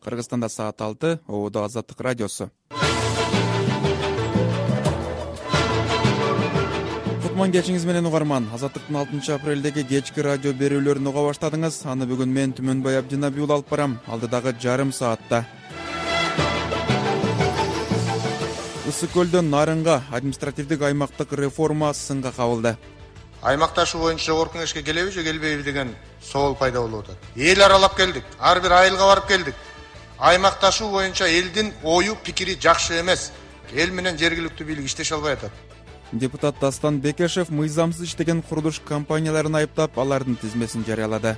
Кыргызстанда саат 6, Ободо Азаттык радиосу. Кутман кечиңиз менен угарман. Азаттыктын 6-апрелдеги кечки радио берүүлөрүн уга баштадыңыз. Аны бүгүн мен Түмөнбай Абдинабиул алып барам. Алдыдагы жарым саатта. Ысык көлдөн Нарынга административдик аймактык реформа сынга кабылды. Аймакташы боюнча жогорку кеңешке келеби же келбейби деген соол пайда болуп атат. Эл аралап келдик, ар бир айылга барып келдик. Аймакташы боюнча элдин ою, пикири жакшы эмес. Эл менен жергиликтүү бийлик иштеше албай атат. Депутат Дастан Бекешев мыйзамсыз иштеген курулуш компанияларын айыптап, алардын тизмесин жарыялады.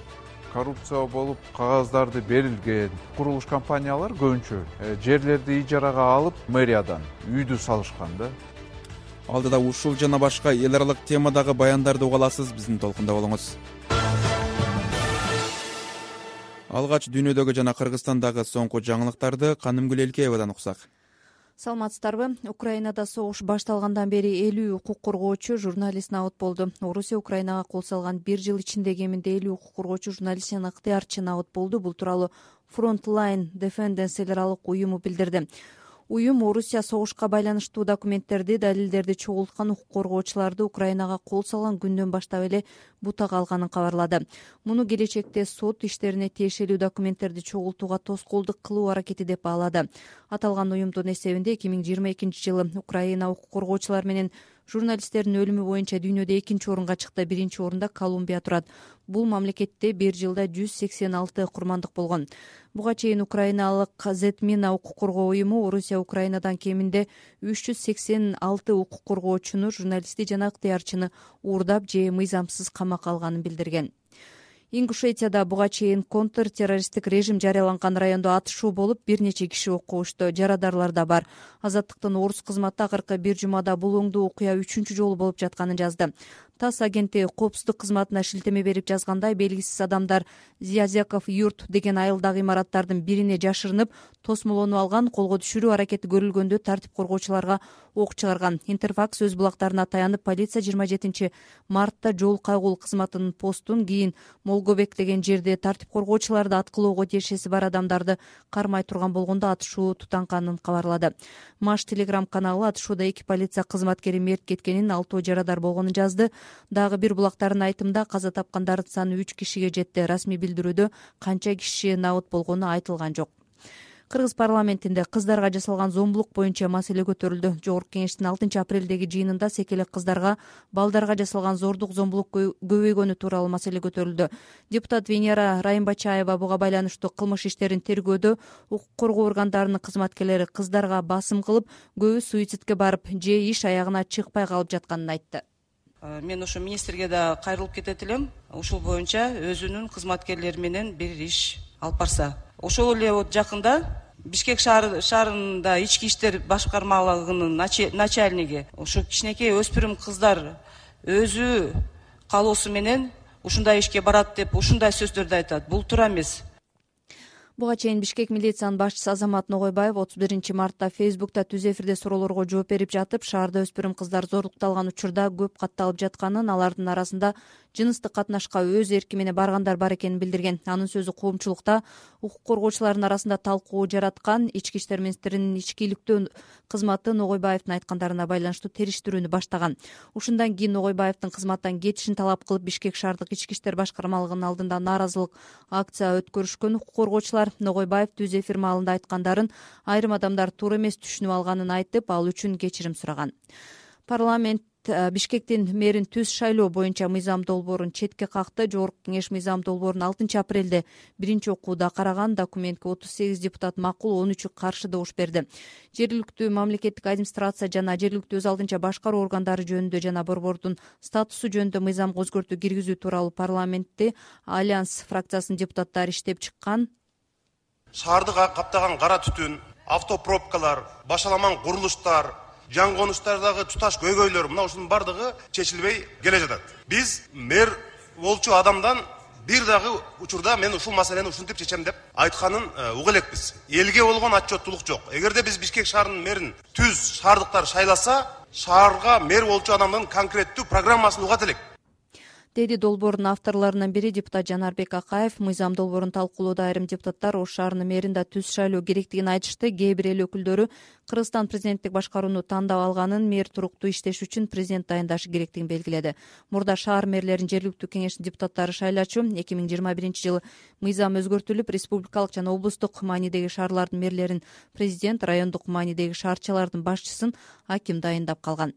Коррупция болуп, кагаздарды берилген курулуш компаниялар көбүнчө жерлерди ижарага алып, мэриядан үйдү салышкан да. Алдыда ушул жана башка эл аралык темадагы баяндарды уга аласыз, биздин толкунда болуңуз. Алгач дүйнөдөгү жана Кыргызстандагы соңку жаңылыктарды Канымгүл Элкеевадан уксак. Саламатсыздарбы? Украинада согуш башталгандан бери 50 укук коргоочу журналист набыт болду. Орусия Украинага кол салган 1 жыл ичинде кеминде 50 укук коргоочу журналист жана ыктыярчы набыт болду. Бул тууралуу Frontline Defenders эл аралык уюму билдирди. Уюм Орусия согушка байланыштуу документтерди, далилдерди чогулткан укук коргоочуларды Украинага кол салган күндөн баштап эле бутага алганын кабарлады. Муну келечекте сот иштерине тиешелүү документтерди чогултууга тоскоолдук кылуу аракети деп баалады. Аталган уюмдун эсебинде 2022-жылы Украина укук коргоочулар менен журналисттердин өлүмү боюнча дүйнөдө 2-орунга чыкты, 1-орунда Колумбия турат. Бул мамлекетте 1 жылда 186 курмандык болгон. Буга чейин украиналык Зетмина укук коргоо уюму Орусия Украинадан кеминде 386 укук коргоочуну, журналистти жана ыктыярчыны уурдап же мыйзамсыз камакка алганын билдирген. Ингушетияда буга чейин контртеррористтик режим жарыяланган райондо атышуу болуп, бир нече киши окко учту. Жарадарлар да бар. Азаттыктын орус кызматы акыркы бир жумада бул оңдуу окуя 3-чү жолу болуп жатканын жазды. ТАСС агенти коопсуздук кызматына шилтеме берип жазгандай, белгисиз адамдар Зязяков юрт деген айылдагы имараттардын бирине жашырынып, тосмолонуп алган, колго түшүрүү аракети көрүлгөндө тартип коргоочуларга ок чыгарган. Интерфакс өз булактарына таянып, полиция 27 мартта жол кайгул кызматынын постун, кийин Молгобек деген жерде тартип коргоочуларды аткылоого тиешеси бар адамдарды кармай турган болгондо атышуу тутанганын кабарлады. Маш Телеграм каналы атышууда 2 полиция кызматкери мерт кеткенин, 6 жарадар болгонун жазды. Дагы бир булактардын айтымында каза тапкандардын саны 3 кишиге жетти. Расмий билдирүүдө канча киши набыт болгону айтылган жок. Кыргыз парламентинде кыздарга жасалган зомбулук боюнча маселе көтөрүлдү. Жогорку кеңештин 6-апрелдеги жыйынында секелек кыздарга, балдарга жасалган зордук, зомбулук көбөйгөнү тууралуу маселе көтөрүлдү. Депутат Венера Райымбачаева буга байланыштуу кылмыш иштерин тергөөдө укук коргоо органдарынын кызматкерлери кыздарга басым кылып, көбү суицидке барып же иш аягына чыкпай калып жатканын айтты. Мен ошо министрге да кайрылып кетет элем. Ушул боюнча өзүнүн кызматкерлери менен бир иш алып барса. Ошол эле жакында Бишкек шаарында ички иштер башкармалыгынын начальниги ошо кичинекей өспүрүм кыздар өзү каалоосу менен ушундай ишке барат деп ушундай сөздөрдү айтат. Бул туура эмес. Буга чейин Бишкек милициянын башчысы Азамат Ногойбаев 31 мартта Фейсбукта түз эфирде суроолорго жооп берип жатып, шаарда өспүрүм кыздар зорлукталган учурда көп катталып жатканын, алардын арасында жыныстык катнашка өз эрки менен баргандар бар экенин билдирген. Анын сөзү коомчулукта укук коргоочулардын арасында талкуу жараткан. Ички иштер министринин ички иликтөө кызматы Ногойбаевдин айткандарына байланыштуу териштирүүнү баштаган. Ушундан кийин Ногойбаевдин кызматтан кетишин талап кылып, Бишкек шаардык ички иштер башкармалыгынын алдында нааразылык акция өткөрүшкөн укук коргоочулар Ногойбаев түз эфир маалында айткандарын айрым адамдар туура эмес түшүнүп алганын айтып, ал үчүн кечирим сураган. Парламент Бишкектин мэрин түз шайлоо боюнча мыйзам долбоорун четке какты. Жогорку кеңеш мыйзам долбоорун 6-апрелде биринчи окууда караган. Документке 38 депутат макул, 13 каршы добуш берди. Жергиликтүү мамлекеттик администрация жана жергиликтүү өз алдынча башкаруу органдары жөнүндө жана борбордун статусу жөнүндө мыйзамга өзгөртүү киргизүү тууралуу парламентте Альянс фракциясынын депутаттары иштеп чыккан. Шаарды каптаган кара түтүн, автопробкалар, башаламан курулуштар, жан конуштардагы туташ көйгөйлөр, мына ушунун бардыгы чечилбей келе жатат. Биз мэр болчу адамдан бир дагы учурда мен ушул маселени ушинтип чечем деп айтканын уга элекпиз. Элге болгон отчеттуулук жок. Эгерде биз Бишкек шаарынын мэрин түз шаардыктар шайласа, шаарга мэр болчу адамдын конкреттүү программасын угат элек. деди долбоордун авторлорунун бири депутат Жанарбек Акаев. Мыйзам долбоорун талкуулоодо айрым депутаттар Ош шаарынын мэрин да түз шайлоо керектигин айтышты. Кээ бир эл өкүлдөрү Кыргызстан президенттик башкарууну тандап алганын, мэр туруктуу иштеш үчүн президент дайындашы керектигин белгиледи. Мурда шаар мэрлерин жергиликтүү кеңештин депутаттары шайлачу. 2021-жылы мыйзам өзгөртүлүп, республикалык жана облустук маанидеги шаарлардын мэрлерин президент, райондук маанидеги шаарчалардын башчысын аким дайындап калган.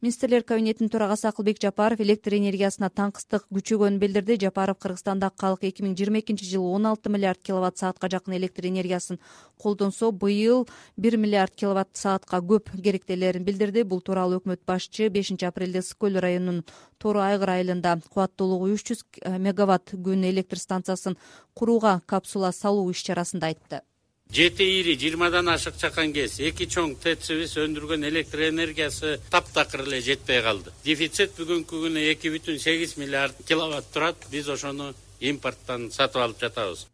Министрлер кабинетинин төрагасы Акылбек Жапаров электр энергиясына таңкыстык күчөгөнүн билдирди. Жапаров Кыргызстандагы калк 2022-жылы 16 миллиард киловатт саатка жакын электр энергиясын колдонсо, быйыл 1 миллиард киловатт саатка көп керектелерин билдирди. Бул тууралуу өкмөт башчы 5-апрелде Ысык көл районунун Тору Айгыр айылында кубаттуулугу 300 мегаватт күн электр станциясын курууга капсула салуу иш-чарасында айтты. 7 ири 20дан ашык чакан кез 2 чоң ТЭЦибиз өндүргөн электр энергиясы таптакыр эле жетпей калды. Дефицит бүгүнкү күнү 2,8 миллиард киловатт турат. Биз ошону импорттон сатып алып жатабыз,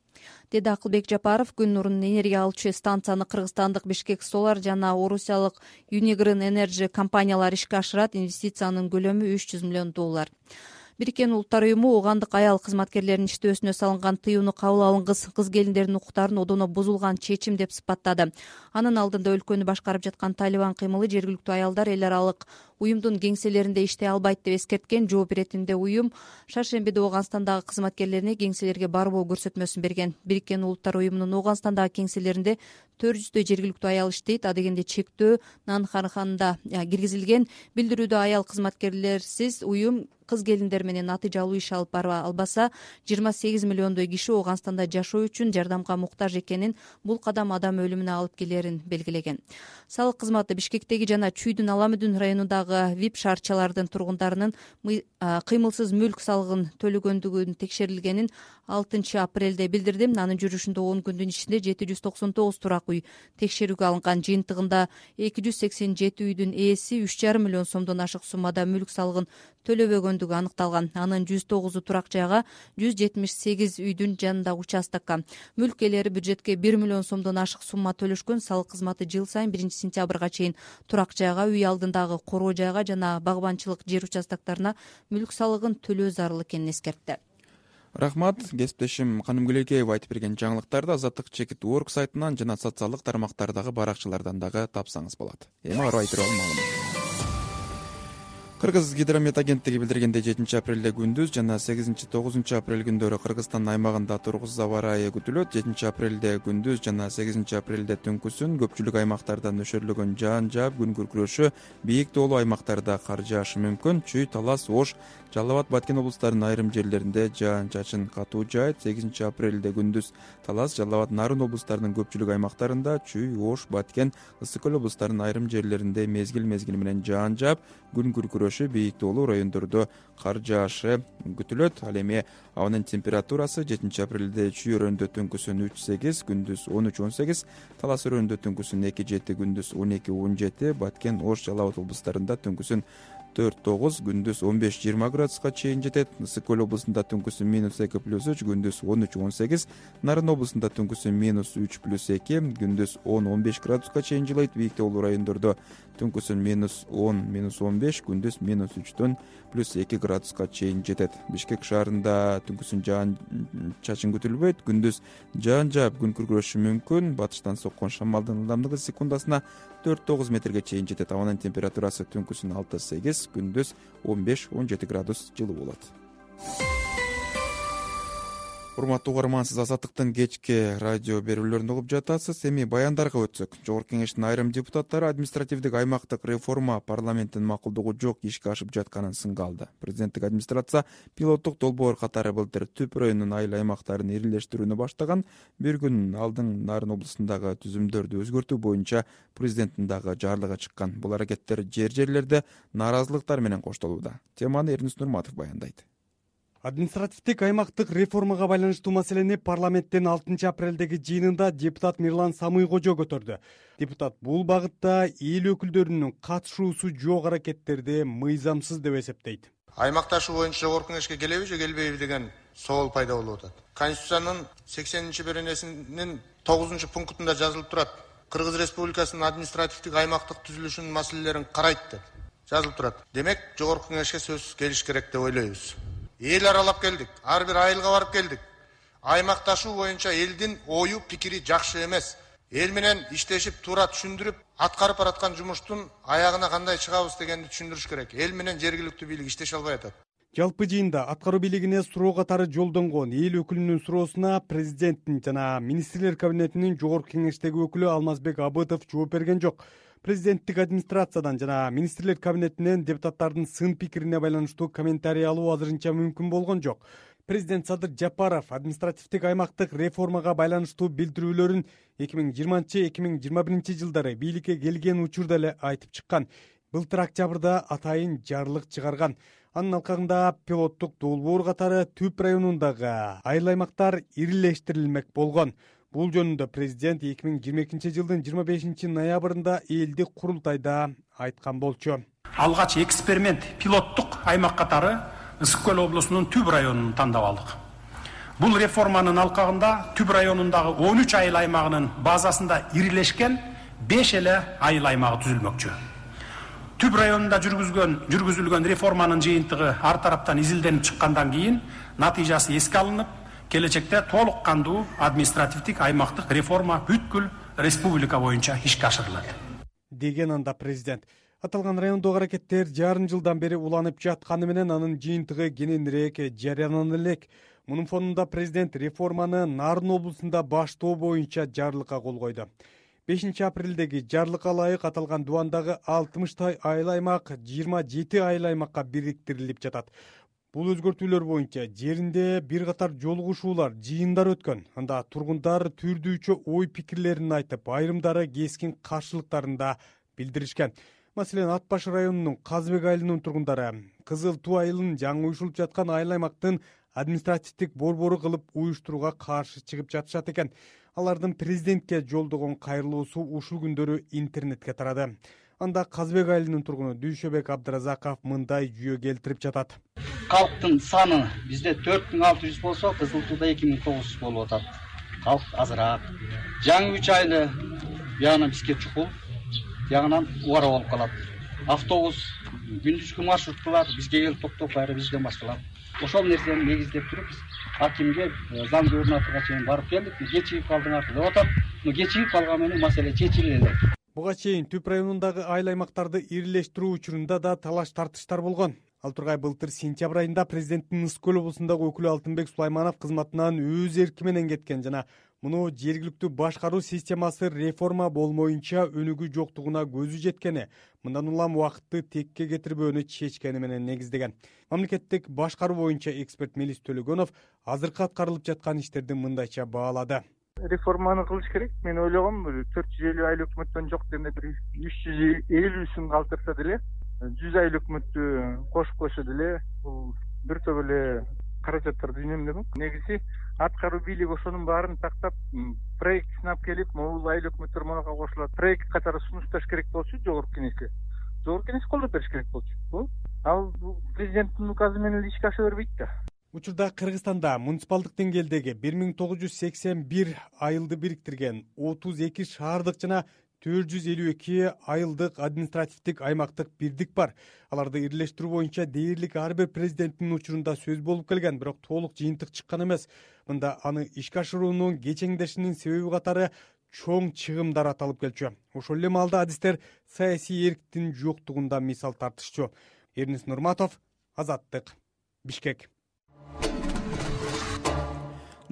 деди Акылбек Жапаров. Күн нурунун энергия алуучу станцияны кыргызстандык Бишкек Solar жана орусиялык Unigran Energy компаниялары ишке ашырат. Инвестициянын көлөмү $300 миллион. Бириккен Улуттар уюму оогандык аял кызматкерлеринин иштөөсүнө салынган тыюуну кабыл алынгыс, кыз келиндердин укуктарын одоно бузулган чечим деп сыпаттады. Анын алдында өлкөнү башкарып жаткан Талибан кыймылы жергиликтүү аялдар эл аралык уюмдун кеңселеринде иштей албайт деп эскерткен. Жооп иретинде уюм шаршембиде Ооганстандагы кызматкерлерине кеңселерге барбоо көрсөтмөсүн берген. Бириккен Улуттар уюмунун Ооганстандагы кеңселеринде 400 жергиликтүү аял иштейт. Адегенде чектөө Нанханханда киргизилген. Билдирүүдө аял кызматкерлерсиз уюм кыз келиндер менен натыйжалуу иш алып бара албаса 28 миллиондой киши Ооганстанда жашоо үчүн жардамга муктаж экенин, бул кадам адам өлүмүнө алып келерин белгилеген. Салык кызматы Бишкектеги жана Чүйдүн Аламүдүн районундагы ВИП шаарчалардын тургундарынын кыймылсыз мүлк салыгын төлөгөндүгүн текшерилгенин 6-апрелде билдирди. Анын жүрүшүндө 10 күндүн ичинде 799 турак үй текшерүүгө алынган. Жыйынтыгында 287 үйдүн ээси 3,5 миллион сомдон ашык суммада мүлк салыгын төлөбөгөндүгү аныкталган. Анын 109 турак жайга, 178 үйдүн жанындагы участокко мүлк ээлери бюджетке 1 миллион сомдон ашык сумма төлөшкөн. Салык кызматы жыл сайын 1-сентябрга чейин турак жайга, үй алдындагы короо жайга жана багбанчылык жер участоктарына мүлк салыгын төлөө зарыл экенин эскертти. Рахмат. Кесиптешим Каным Гүлекеева айтып берген жаңылыктарды Азаттык.org сайтынан жана социалдык тармактардагы баракчалардан дагы тапсаңыз болот. Эми ары айтыруу маалымат. Кыргыз гидромет агенттиги билдиргендей 7-апрелде күндүз жана 8-9 апрель күндөрү Кыргызстан аймагында тургуз аба ырайы күтүлөт. 7-апрелде күндүз жана 8-апрелде түнкүсүн көпчүлүк аймактарда нөшөрлөгөн жаан жаап, күн күркүрөшү, бийик тоолуу аймактарда кар жаашы мүмкүн. Чүй, Талас, Ош, Жалал Абад, Баткен облустарынын айрым жерлеринде жаан чачын катуу жаайт. 8-апрелде күндүз Талас, Жалал Абад, Нарын облустарынын көпчүлүк аймактарында, Чүй, Ош, Баткен, Ысык көл облустарынын айрым жерлеринде мезгил менен жаан жаап, күн күркүрөшү, бийик тоолуу райондордо кар жаашы күтүлөт. Ал эми абанын температурасы 7-апрелде Чүй өрөөндө түнкүсүн 3-8, күндүз 13-18, Талас өрөөндө түнкүсүн 2-7, күндүз 12-17, Баткен, Ош, Жалал Абад облустарында түнкүсүн 4-9, күндүз 15-20 градуска чейин жетет. Ысык көл облусунда түнкүсүн -2+3, күндүз 13-18, Нарын облусунда түнкүсүн -3+2, күндүз 10-15 градуска чейин жылыйт. Бийик тоолуу райондордо түнкүсүн -10-15, күндүз -3 +2 градуска чейин жетет. Бишкек шаарында түнкүсүн жаан чачын күтүлбөйт. Күндүз жаан жаап, күн күркүрөшү мүмкүн. Батыштан соккон шамалдын ылдамдыгы секундасына 4-9 метрге чейин жетет. Абанын температурасы түнкүсүн 6-8, күндүз 15-17 градус жылуу болот. Урматтуу угарман, сиз Азаттыктын кечки радио берүүлөрүн угуп жатасыз. Эми баяндарга өтсөк. Жогорку кеңештин айрым депутаттары административдик аймактык реформа парламенттин макулдугу жок ишке ашып жатканын сынга алды. Президенттик администрация пилоттук долбоор катары былтыр Түп районунун айыл аймактарын ирилештирүүнү баштаган. Bir күн алдын Нарын облусундагы түзүмдөрдү өзгөртүү боюнча президенттин дагы жарлыгы чыккан. Бул аракеттер жерлерде нааразылыктар менен коштолууда. Теманы Эрнис Нурматов баяндайт. Административдик аймактык реформага байланыштуу маселени парламенттин 6-апрелдеги жыйынында депутат Мирлан Самыйкожо көтөрдү. Депутат бул багытта эл өкүлдөрүнүн катышуусу жок аракеттерди мыйзамсыз деп эсептейт. Аймакташуу боюнча жогорку кеңешке келеби же келбейби деген соол пайда болуп атат. Конституциянын 80-беренесинин 9-пунктунда жазылып турат. Кыргыз Республикасынын административдик аймактык түзүлүшүнүн маселелерин карайт деп жазылып турат. Демек, жогорку кеңешке сөзсүз келиш керек деп ойлойбуз. эл аралап келдик, ар бир айылга барып келдик. Аймакташуу боюнча элдин ою пикири жакшы эмес. Эл менен иштешип, туура түшүндүрүп, аткарып бараткан жумуштун аягына кандай чыгабыз дегенди түшүндүрүш керек. Эл менен жергиликтүү бийлик иштеше албай атат. Жалпы жыйында аткаруу бийлигине суроо катары жолдонгон эл өкүлүнүн суроосуна президенттин жана министрлер кабинетинин жогорку кеңештеги өкүлү Алмазбек Абытов жооп берген жок. Президенттик администрациядан жана министрлер кабинетинен депутаттардын сын пикирине байланыштуу комментарий алуу азырынча мүмкүн болгон жок. Президент Садыр Жапаров административдик аймактык реформага байланыштуу билдирүүлөрүн 2020-2021 жылдары бийликке келген учурда эле айтып чыккан. Былтыр октябрда атайын жарлык чыгарган. Анын алкагында пилоттук долбоор катары Түп районундагы айыл аймактар ирилештирилмек болгон. Бул жөнүндө президент 2022 жылдын 25 ноябрында элдик курултайда айткан болчу. Алгач эксперимент пилоттук аймак катары Ысык көл облусунун Түп районун тандап алдык. Бул реформанын алкагында Түп районундагы 13 айыл аймагынын базасында ирилешкен 5 эле айыл аймагы түзүлмөкчү. Түп районунда жүргүзүлгөн реформанын жыйынтыгы ар тараптан изилденип чыккандан кийин натыйжасы эске алынып, келечекте толук кандуу административдик аймактык реформа бүткүл республика боюнча ишке ашырылат деген анда президент. Аталган райондогу аракеттер жарым жылдан бери уланып жатканы менен анын жыйынтыгы кененирээк жарыянана элек. Мунун фонунда президент реформаны Нарын облусунда баштоо боюнча жарлыкка кол койду. 5 апрелдеги жарлыкка ылайык аталган дубандагы 60 айыл аймак 27 айыл аймакка бириктирилип жатат. Бул өзгөртүүлөр боюнча жеринде бир катар жолугушуулар, жыйындар өткөн. Анда тургундар түрдүүчө ой пикирлерин айтып, айрымдары кескин каршылыктарын да билдиришкен. Маселен, Ат башы районунун Казбек айылынын тургундары Кызыл Туу айылын жаңы уюшулуп жаткан айыл аймактын административдик борбору кылып уюштурууга каршы чыгып жатышат экен. Алардын президентке жолдогон кайрылуусу ушул күндөрү интернетке тарады. Анда Казбек айылынын тургуну Дүйшөбек Абдыразаков мындай жүйө келтирип жатат. Калктын саны бизде 4600 болсо, Кызыл Тууда 2900 болуп атат. Калк азыраак. Жаңы 3 айылы бияна бизге чукул, ягынан убара болуп калат. Автобус, күндүзгү маршруткалар бизге келип токтоп, кайра бизден башталат. Ошол нерсени негиздеп туруп биз акимге, заң губернаторго чейин барып келдик. Кечигип калдыңар деп атат. Кечигип калган менен маселе чечиле элек. Буга чейин Түп районундагы айыл аймактарды ирилештирүү учурунда да талаш тартыштар болгон. Ал тургай былтыр сентябрь айында президенттин Ысык көл облусундагы өкүлү Алтынбек Сулайманов кызматынан өз эрки менен кеткен жана муну жергиликтүү башкаруу системасы реформа болмоюнча өнүгүү жоктугуна көзү жеткени, мындан улам убакытты текке кетирбөөнү чечкени менен негиздеген. Мамлекеттик башкаруу боюнча эксперт Мелис Төлөгөнов азыркы аткарылып жаткан иштерди мындайча баалады. Реформаны кылыш керек. Мен ойлогом 450 айыл өкмөттөн жок дегенде бир 350 калтырса деле 100 айыл өкмөттү кошуп койсо деле бул бир топ эле каражаттарды үнөмдөмөк. Негизи аткаруу бийлиги ошонун баарын тактап, проект сынап келип, могул айыл өкмөттөр мага кошулат. Проект катары сунушташ керек болчу жогорку кеңешке. Жогорку кеңеш колдоп бериш керек болчу. Ал президенттин указы менен эле ишке аша бербейт да. Учурда Кыргызстанда муниципалдык деңгээлдеги 1981 айылды бириктирген 32 шаардык жана 452 айылдык административдик аймактык бирдик бар. Аларды ирилештирүү боюнча дээрлик ар бир президенттин учурунда сөз болуп келген, бирок толук жыйынтык чыккан эмес. Мында аны ишке ашыруунун кечеңдешинин себеби катары чоң чыгымдар аталып келчү. Ошол эле маалда адистер саясий эрктин жоктугунда мисал тартышчу. Эрнис Нурматов, Азаттык, Бишкек.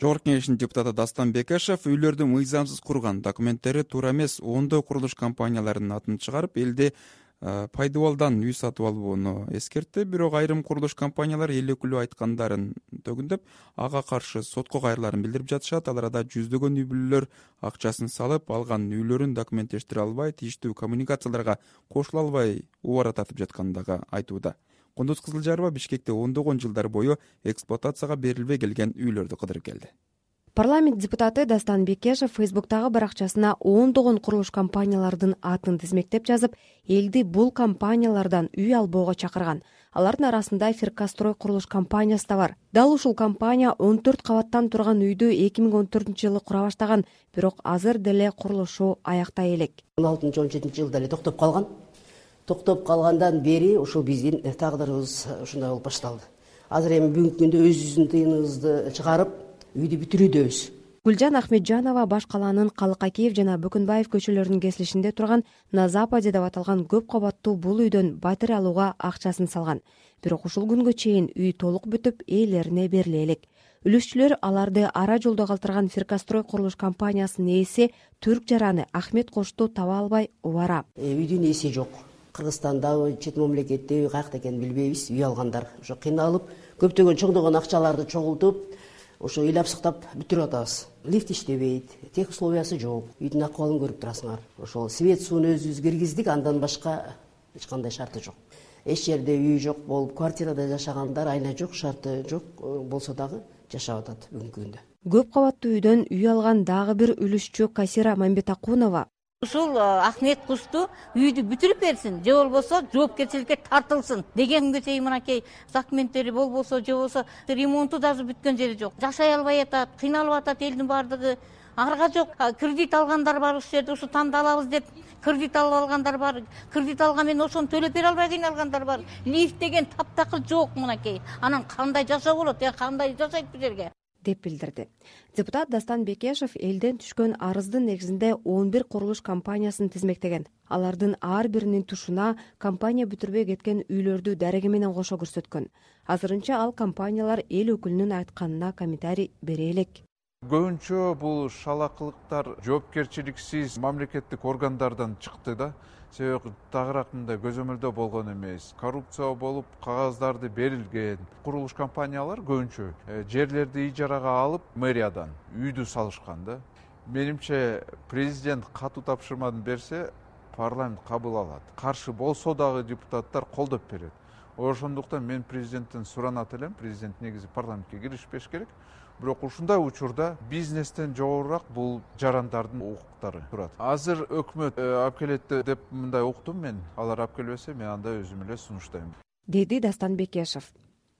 Жогорку кеңештин депутаты Дастан Бекешев үйлөрдү мыйзамсыз курган, документтери туура эмес 10 курулуш компанияларынын атын чыгарып, элде пайдабалдан үй сатып алууну эскертти. Бирок айрым курулуш компаниялар эл өкүлү айткандарын төгүндөп, ага каршы сотко кайрыларын билдирип жатышат. Ал арада жүздөгөн үй бүлөлөр акчасын салып, алган үйлөрүн документтештире албай, тийиштүү коммуникацияларга кошула албай убара тартып жатканын дагы айтууда. Кундуз Кызылжарова Бишкекте ондогон жылдар бою эксплуатацияга берилбей келген үйлөрдү кыдырып келди. Парламент депутаты Дастан Бекешев Фейсбуктагы баракчасына ондогон курулуш компаниялардын атын тизмектеп жазып, элди бул компаниялардан үй албоого чакырган. Алардын арасында Фиркастрой курулуш компаниясы да бар. Дал ушул компания 14 кабаттан турган үйдү 2014-жылы кура баштаган, бирок азыр деле курулушу аяктай элек. 16-17 жылда эле токтоп калган. Токтоп калгандан бери ушул биздин тагдырыбыз ушундай болуп башталды. азыр эми бүгүнкү күндө өзүбүздүн тыйыныбызды чыгарып үйдү бүтүрүүдөбүз. Гүлжан Ахметжанова баш калаанын Калыкакиев жана Бөкөнбаев көчөлөрүнүн кесилишинде турган на Западе деп аталган көп кабаттуу бул үйдөн батирей алууга акчасын салган. Бирок ушул күнгө чейин үй толук бүтүп ээлерине бериле элек. Үлүшчүлөр аларды ара жолдо калтырган Фиркастрой курулуш компаниясынын ээси Түрк жараны Ахмет Кошту таба албай убара. Үйдүн ээси жок. Кыргызстандагы чет мамлекетте каякта экенин билбейбиз. Үй алгандар ошо кыйналып, көптөгөн чоңдогон акчаларды чогултуп, ошо ыйлап сыктап бүтүрүп атабыз. Лифт иштебейт, тех условиясы жок. Үйдүн акыбалын көрүп турасыңар. Ошол свет сууну өзүбүз киргиздик, андан башка эч кандай шарты жок. Эч жерде үй жок болуп, квартирада жашагандар айна жок, шарты жок болсо дагы жашап атат бүгүнкү күндө. Көп кабаттуу үйдөн үй алган дагы бир үлүшчү Касира Мамбетакунова ушул Ахмет Кошту үйдү бүтүрүп берсин, же болбосо жоопкерчиликке тартылсын деген күнгө чейин мынакей документтери болбосо, же болбосо ремонту даже бүткөн жери жок. Жашай албай атат, кыйналып атат элдин баардыгы. Арга жок, кредит алгандар бар, ушул жерде ушу танда алабыз деп кредит алып алгандар бар. Кредит алган менен ошону төлөп бере албай кыйналгандар бар. Лифт деген таптакыр жок мынакей. Анан кандай жашоо болот, кандай жашайт бул жерге? деп билдирди. Депутат Дастан Бекешев элден түшкөн арыздын негизинде 11 курулуш компаниясын тизмектеген. Алардын ар биринин тушуна компания бүтүрбөй кеткен үйлөрдү дареги менен кошо көрсөткөн. Азырынча ал компаниялар эл өкүлүнүн айтканына комментарий бере элек. Көбүнчө бул шалакылыктар жоопкерчиликсиз мамлекеттик органдардан чыкты да. Себеби тагыраак мындай көзөмөлдөө болгон эмес. Коррупция болуп, кагаздарды берилген. Курулуш компаниялар көбүнчө жерлерди ижарага алып, мэриядан үйдү салышкан да. Менимче президент катуу тапшырманы берсе, парламент кабыл алат. Каршы болсо дагы депутаттар колдоп берет. Ошондуктан мен президенттен суранат элем, президент негизи парламентке киришпеш керек. Бирок ушундай учурда бизнестен жогорураак бул жарандардын укуктары турат. Азыр өкмөт алып келет деп мындай уктум мен. Алар алып келбесе, мен анда өзүм эле сунуштайм, деди Дастан Бекешев.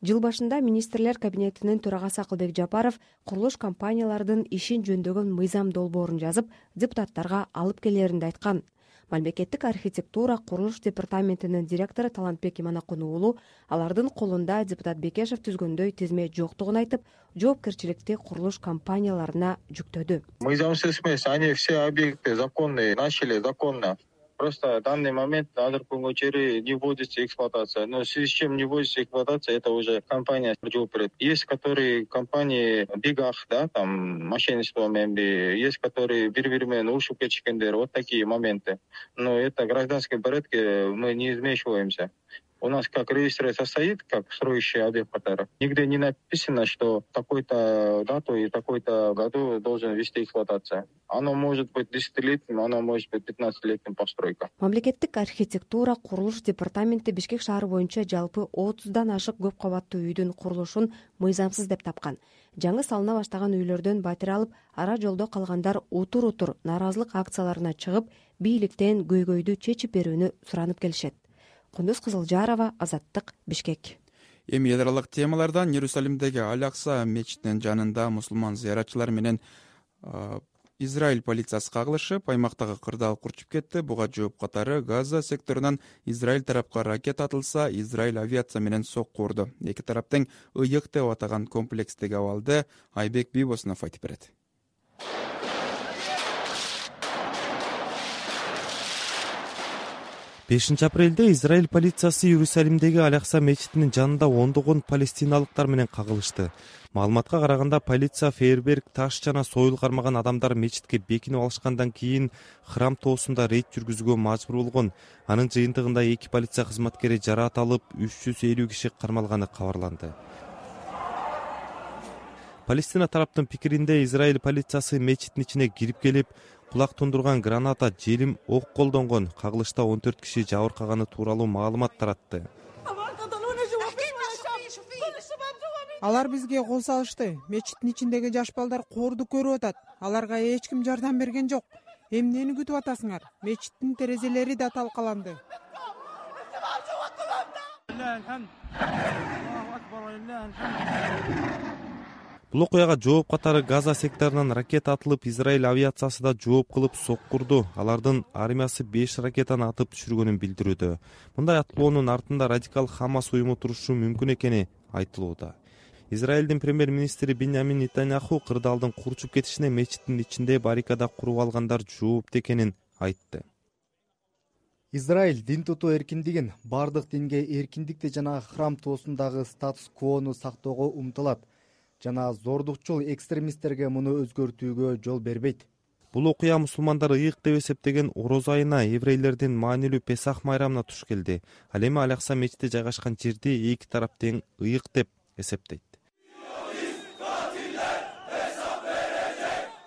Жыл башында министрлер кабинетинин төрагасы Акылбек Жапаров курулуш компаниялардын ишин жөндөгөн мыйзам долбоорун жазып, депутаттарга алып келеринди айткан. Мамлекеттик архитектура курулуш департаментинин директору Талантбек Иманакун уулу алардын колунда депутат Бекешев түзгөндөй тизме жоктугун айтып, жоопкерчиликти курулуш компанияларына жүктөдү. Мыйзамсыз эмес, они все объекты законные, начали законно. Просто в данный момент азыркы күнгө чейин не вводится эксплуатация. Но в связи с чем не вводится эксплуатация, это уже компания жооп берет. Есть которые компании бегах, да, там мошенничеством, есть которые бири-бири менен урушуп кетишкендер, вот такие моменты. Но это в гражданском порядке мы не вмешиваемся. У нас как регистрация состоит, как строящий объект, нигде не написано, что такой-то дату и такой-то году должен вести эксплуатация. Оно может быть 10-летним, оно может быть 15-летним постройка. Мамлекеттик архитектура курулуш департаменти Бишкек шаары боюнча жалпы 30дан ашык көп кабаттуу үйдүн курулушун мыйзамсыз деп тапкан. Жаңы салына баштаган үйлөрдөн батирей алып, ара жолдо калгандар утур-утур нааразылык акцияларына чыгып, бийликтен көйгөйдү чечип берүүнү суранып келишет. Кундуз Кызылжарова, Азаттык, Бишкек. Эми эл аралык темалардан Иерусалимдеги Аль-Акса мечитинин жанында мусулман зыяратчылар менен Израиль полициясы кагылышып, аймактагы кырдаал курчуп кетти. Буга жооп катары Газа секторунан Израиль тарапка ракета атылса, Израиль авиация менен сокку урду. Эки тараптын ыйык деп атаган комплекстеги абалды Айбек Бибосунов айтып берет. 5 апрелде Израиль полициясы Иерусалимдеги Аль-Акса мечитинин жанында ондогон палестиналыктар менен кагылышты. Маалыматка караганда, полиция фейерверк, таш жана сойыл кармаган адамдар мечитке бекинип алышкандан кийин храм тоосунда рейд жүргүзүүгө мажбур болгон. Анын жыйынтыгында 2 полиция кызматкери жараат алып, 350 киши кармалганы кабарланды. Палестина тараптын пикиринде, Израиль полициясы мечиттин ичине кирип келип, кулак тундурган граната, желим, ок колдонгон. Кагылышта 14 киши жабыркаганы тууралуу маалымат таратты. Алар бизге кол салышты. Мечиттин ичиндеги жаш балдар коорду көрүп атат. Аларга эч ким жардам берген жок. Эмнени күтүп атасыңар? Мечиттин терезелери да талкаланды. Бул окуяга жооп катары Газа секторунан ракета атылып, Израиль авиациясы да жооп кылып соккурду. Алардын армиясы 5 ракетаны атып түшүргөнүн билдирүүдө. Мындай атлоонун артында радикал Хамас уюму турушу мүмкүн экени айтылууда. Израилдин премьер-министри Биньямин Нетаньяху кырдаалдын курчуп кетишине мечиттин ичинде баррикада куруп алгандар жоопту экенин айтты. Израиль дин тутуу эркиндигин, бардык динге эркиндикти жана храм тоосундагы статус-квону сактоого умтулат жана зордукчул экстремисттерге муну өзгөртүүгө жол бербейт. Бул окуя мусулмандар ыйык деп эсептеген ороз айына еврейлердин маанилүү Песах майрамына туш келди. Ал эми Аль-Акса мечити жайгашкан жерди эки тарап тең ыйык деп эсептейт.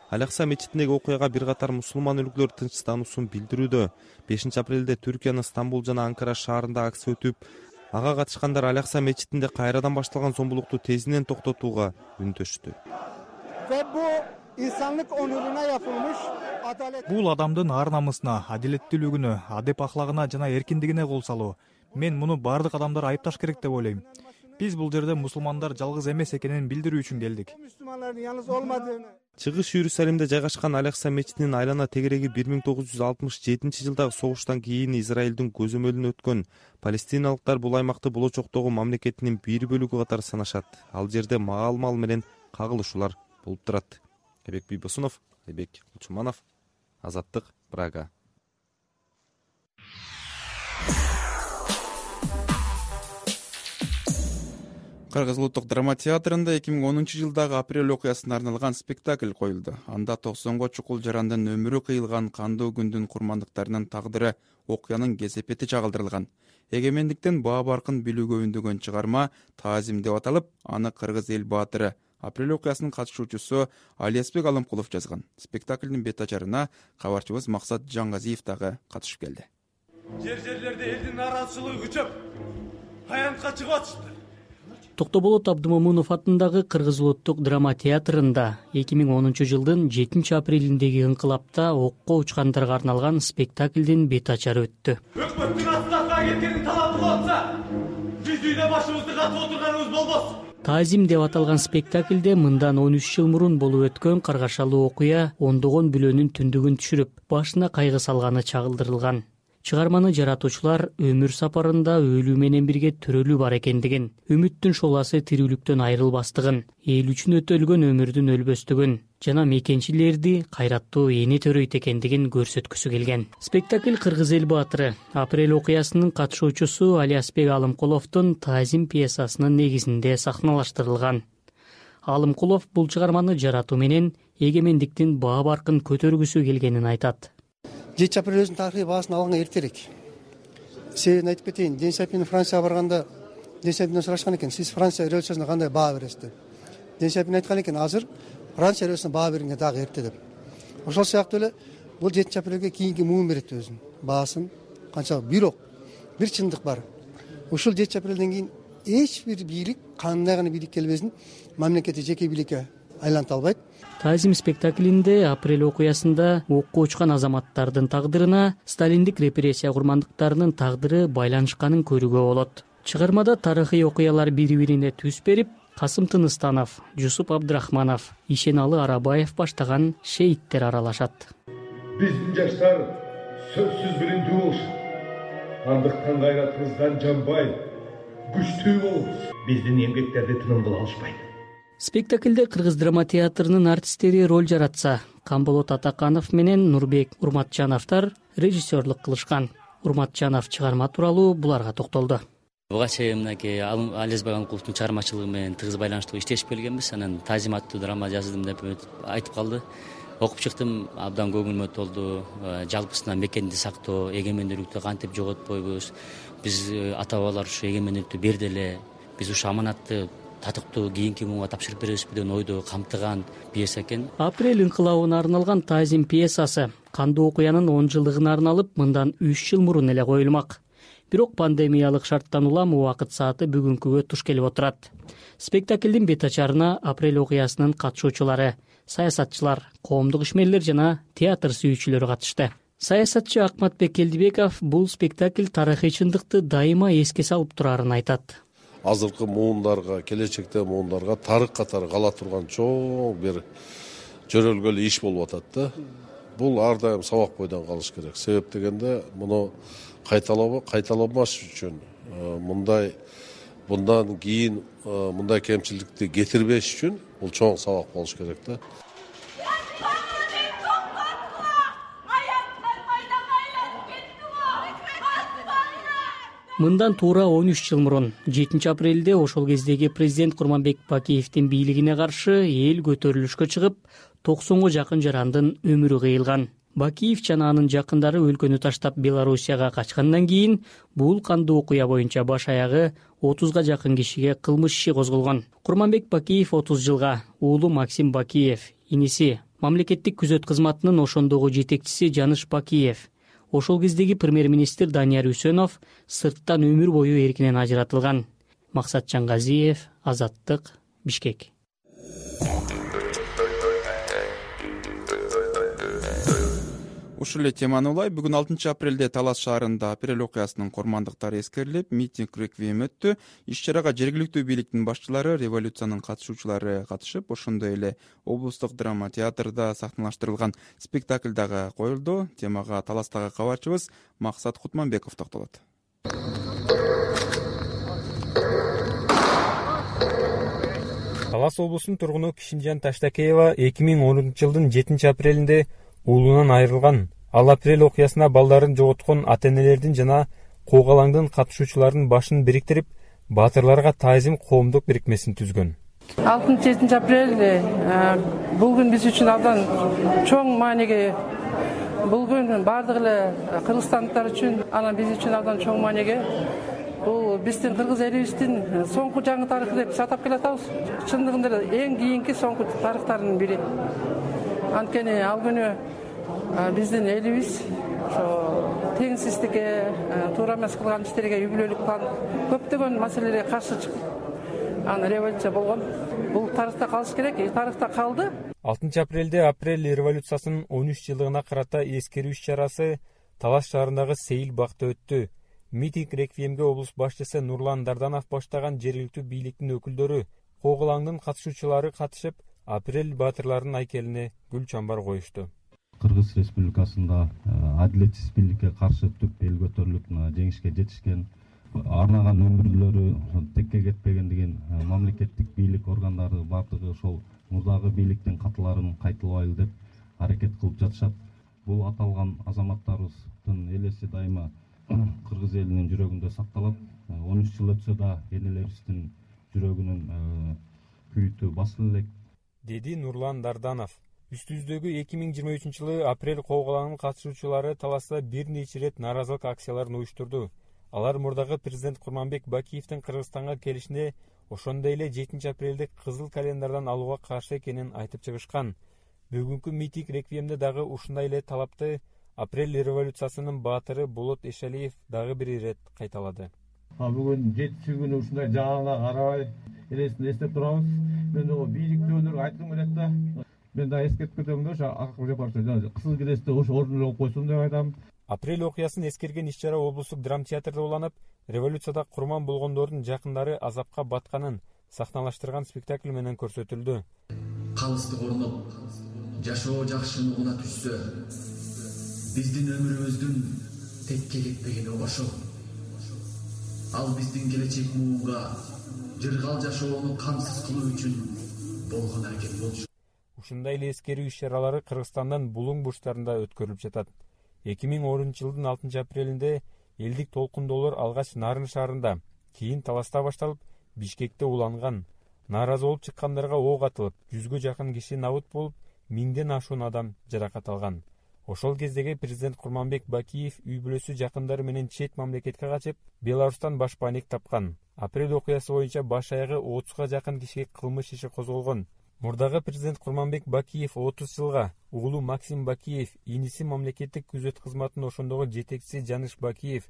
Аль-Акса мечитиндеги окуяга бир катар мусулман өлкөлөр тынчтануусун билдирүүдө. 5 апрелде Түркиянын Стамбул жана Анкара шаарында акция өтүп, ага катышкандар Аль-Акса мечитинде кайрадан башталган зомбулукту тезинен токтотууга үндөштү. Бул адамдын ар-намысына, адилеттүүлүгүнө, адеп ахлагына жана эркиндигине кол салуу. Мен муну бардык адамдар айыпташ керек деп ойлойм. Биз бул жерде мусулмандар жалгыз эмес экенин билдирүү үчүн келдик. Чыгыш Иерусалимде жайгашкан Аль-Акса мечитинин айлана тегереги 1967-жылдагы согуштан кийин Израилдин көзөмөлүнө өткөн. Палестиналыктар бул аймакты болочоктогу мамлекетинин бир бөлүгү катары санашат. Ал жерде маал-мал менен кагылышуулар болуп турат. Айбек Бийбосунов, Айбек Кулчуманов, Азаттык, Прага. Кыргыз улуттук драма театрында 2010-жылдагы апрель окуясына арналган спектакль коюлду. Анда 90го чукул жарандын өмүрү кыйылган кандуу күндүн курмандыктарынын тагдыры, окуянын кесепети чагылдырылган. Эгемендиктен баа баркын билүүгө үндөгөн чыгарма Таазим деп аталып, аны кыргыз эл баатыры, апрель окуясынын катышуучусу Алиасбек Алымкулов жазган. Спектаклдин бет ачарына кабарчыбыз Максат Жаңгазиев дагы катышып келди. Жерлерде элдин нараазычылыгы күчөп, аянтка чыгып атышты. Токтоболот Абдымомунов атындагы Кыргыз улуттук драма театрында 2010-жылдын 7 апрелиндеги ыңкылапта окко учкандарга арналган спектаклдин бет ачары өттү. Өкмөттүн астына кеткендин талабы болсо, биз үйдө башыбызды катып отурганыбыз болбос. Таазим деп аталган спектаклде мындан 13 жыл мурун болуп өткөн каргашалуу окуя ондогон бүлөнүн түндүгүн түшүрүп, башына кайгы салганы чагылдырылган. Чыгарманы жаратуучулар өмүр сапарында өлүү менен бирге төрөлүү бар экендигин, үмүттүн шоласы тирүүлүктөн айрылбастыгын, эл үчүн өтөлгөн өмүрдүн өлбөстүгүн жана мекенчилерди кайраттуу эне төрөйт экендигин көрсөткүсү келген. Спектакль кыргыз эл баатыры, апрель окуясынын катышуучусу Алиасбек Алымкуловдун Таазим пьесасынын негизинде сахналаштырылган. Алымкулов бул чыгарманы жаратуу менен эгемендиктин баа баркын көтөргүсү келгенин айтат. 7 апрель өзүнүн тарыхый баасын алганга эртерээк. Себебин айтып кетейин. Ден Сяопин Францияга барганда Ден Сяопинден сурашкан экен, сиз Франция революциясына кандай баа бересиз деп. Ден Сяопин айткан экен, азыр Франция революциясына баа бергенге дагы эрте деп. Ошол сыяктуу эле бул 7 апрелге кийинки муун берет өзүнүн баасын. Канча бирок бир чындык бар. Ушул 7 апрелден кийин эч бир бийлик, кандай гана бийлик келбесин, мамлекетти жеке бийликке айланта албайт. Таазим спектаклинде апрель окуясында окко учкан азаматтардын тагдырына сталиндик репрессия курмандыктарынын тагдыры байланышканын көрүүгө болот. Чыгармада тарыхый окуялар бири-бирине түз берип, Касым Тыныстанов, Жусуп Абдрахманов, Ишеналы Арабаев баштаган шейиттер аралашат. Биздин жаштар сөзсүз билимдүү болушат. Андыктан кайратыбыздан жанбай, күчтүү болобуз. Биздин эмгектерди тыным кыла алышпайт. Спектаклде Кыргыз драма театрынын артисттери роль жаратса, Камболот Атаканов менен Нурбек Урматжановдор режиссерлук кылышкан. Урматжанов чыгарма тууралуу буларга токтолду. Буга чейин мынакей Алиасбек Алымкуловдун чыгармачылыгы менен тыгыз байланыштуу иштешип келгенбиз. Анан Таазим аттуу драма жаздым деп айтып калды. Окуп чыктым, абдан көңүлүмө толду. Жалпысынан мекенди сактоо, эгемендүүлүктү кантип жоготпойбуз. Биз ата бабалар ушу эгемендүүлүктү берди эле. Биз ушу аманатты татыктуу кийинки муунга тапшырып беребизби деген ойду камтыган пьеса экен. Апрель инкылабына арналган Таазим пьесасы кандуу окуянын 10 жылдыгына арналып, мындан 3 жыл мурун эле коюлмак. Бирок пандемиялык шарттан улам убакыт сааты бүгүнкүгө туш келип отурат. Спектаклдин бет ачарына апрель окуясынын катышуучулары, саясатчылар, коомдук ишмерлер жана театр сүйүүчүлөр катышты. Саясатчы Акматбек Келдибеков бул спектакль тарыхый чындыкты дайыма эске салып турарын айтат. азыркы муундарга, келечекте муундарга тарых катары кала турган чоң бир жөрөлгөл иш болуп атат да. Бул ар дайым сабак бойдон калыш керек. Себеп дегенде муну кайталамаш үчүн мындан кийин мындай кемчиликти кетирбеш үчүн бул чоң сабак болуш керек да. Мындан туура 13 жыл мурун 7 апрелде ошол кездеги президент Курманбек Бакиевдин бийлигине каршы эл көтөрүлүшкө чыгып, 90га жакын жарандын өмүрү кыйылган. Бакиев жана анын жакындары өлкөнү таштап Белоруссияга качкандан кийин бул кандуу окуя боюнча баш аягы 30га жакын кишиге кылмыш иши козголгон. Курманбек Бакиев 30 жылга, уулу Максим Бакиев, иниси мамлекеттик күзөт кызматынын ошондогу жетекчиси Жаныш Бакиев, ошол кездеги премьер-министр Данияр Үсөнов сырттан өмүр бою эркинен ажыратылган. Максат Чаңгазиев, Азаттык, Бишкек. Ушул эле теманы улай бүгүн 6 апрелде Талас шаарында апрель окуясынын курмандыктары эскерилип, митинг реквием өттү. Иш-чарага жергиликтүү бийликтин башчылары, революциянын катышуучулары катышып, ошондой эле облустук драма театрда сахналаштырылган спектакль дагы коюлду. Темага Таластагы кабарчыбыз Максат Кутманбеков токтолот. Талас облусунун тургуну Кишимжан Таштакеева 2010-жылдын 7 апрелинде уулунан айрылган. Ал апрель окуясына балдарын жоготкон ата-энелердин жана куугалаңдын катышуучуларынын башын бириктирип, баатырларга таазим коомдук бирикмесин түзгөн. 6-7 апрель бул күн биз үчүн абдан чоң маанеге. Бул күн бардык эле кыргызстандыктар үчүн, анан биз үчүн абдан чоң маанеге. Бул биздин кыргыз элибиздин соңку жаңы тарыхы деп атап келатабыз. Чындыгында эң кийинки соңку тарыхтардын бири. Анткени ал күнү биздин элибиз теңсиздикке, туура эмес кылган иштерге үйбүлөлүк кылып, көптөгөн маселелерге каршы чыгып, анан революция болгон. Бул тарыхта калыш керек, тарыхта калды. 6 апрелде апрель революциясынын 13 жылдыгына карата эскерүү иш-чарасы Талас шаарындагы Сейил бакта өттү. Митинг реквиемге облус башчысы Нурлан Дарданов баштаган жергиликтүү бийликтин өкүлдөрү, куугалаңдын катышуучулары катышып, апрель баатырларынын айкелине гүл чамбар коюшту. Кыргыз Республикасында адилетсиз бийликке каршы түп эл көтөрүлүп, жеңишке жетишкен, арнаган өмүрлөрү текке кетпеген деген мамлекеттик бийлик органдары бардыгы ошол мурдагы бийликтин катыларын кайталбайлы деп аракет кылып жатышат. Бул аталган азаматтарыбыздын элеси дайыма кыргыз элинин жүрөгүндө сакталат. 13 жыл өтсө да энелерибиздин жүрөгүнүн күйүтү басыла элек, деди Нурлан Дарданов. Үстүбүздөгү 2023-жылы апрель куугалаңынын катышуучулары Таласта бир нече ирет нааразылык акцияларын уюштурду. Алар мурдагы президент Курманбек Бакиевдин Кыргызстанга келишине, ошондой эле 7 апрелди кызыл календардан алууга каршы экенин айтып чыгышкан. Бүгүнкү митинг реквиемде дагы ушундай эле талапты апрель революциясынын баатыры Болот Эшалиев дагы бир ирет кайталады. Бүгүн 7-күнү ушундай жаана карабай элесин эстеп турабыз. Мен о бийликтүүлөргө айткым келет да. Мен да эскертип кетем да, ошо акыл жапарчы кызыл киресте ошо ордуна коюп койсун деп айтам. Апрель окуясын эскерген иш-чара облустук драма театрда уланып, революцияда курман болгондордун жакындары азапка батканын сахналаштырган спектакль менен көрсөтүлдү. Калысты корноп, жашоо жакшы нугуна түшсө, биздин өмүрүбүздүн текке кетпегени ошол. Ал биздин келечек муунга жыргал жашоону камсыз кылуу үчүн болгон аракет болчу. Ушундай эле эскерүү иш-чаралары Кыргызстандын булуң бурчтарында өткөрүлүп жатат. 2010-жылдын 6 апрелинде элдик толкундоолор алгач Нарын шаарында, кийин Таласта башталып, Бишкекте уланган. Нааразы болуп чыккандарга ок атылып, 100гө жакын киши набыт болуп, 1000ден ашуун адам жаракат алган. Ошол кездеги президент Курманбек Бакиев үй бүлөсү жакындары менен чет мамлекетке качып, Беларустан баш пайник тапкан. Апрель окуясы боюнча баш аягы 30га жакын кишиге кылмыш иши козголгон. Мурдагы президент Курманбек Бакиев 30 жылга, уулу Максим Бакиев, иниси мамлекеттик күзөт кызматынын ошондогу жетекчиси Жаныш Бакиев,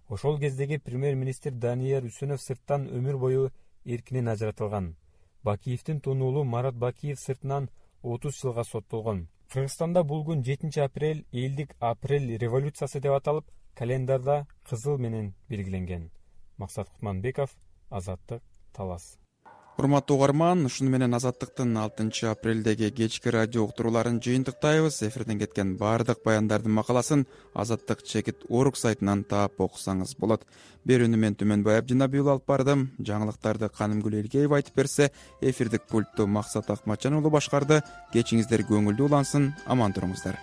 ошол кездеги премьер-министр Данияр Үсөнов сырттан өмүр бою эркинен ажыратылган. Бакиевдин тунуулу Марат Бакиев сыртынан 30 жылга соттолгон. Кыргызстанда бул күн 7 апрель элдик апрель революциясы деп аталып, календарда кызыл менен белгиленген. Максат Кутманбеков, Азаттык, Талас. Урматтуу угарман, ушуну менен Азаттыктын 6 апрелдеги кечки радио уктурууларын жыйынтыктайбыз. Эфирден кеткен баардык баяндардын макаласын azattik.org сайтынан таап окусаңыз болот. Берүүнү мен Түмөнбай Абдинабий алып бардым. Жаңылыктарды Канымгүл Элгеева айтып берсе, эфирдик пультту Максат Акматжан уулу башкарды. Кечиңиздер көңүлдүү улансын, аман туруңуздар.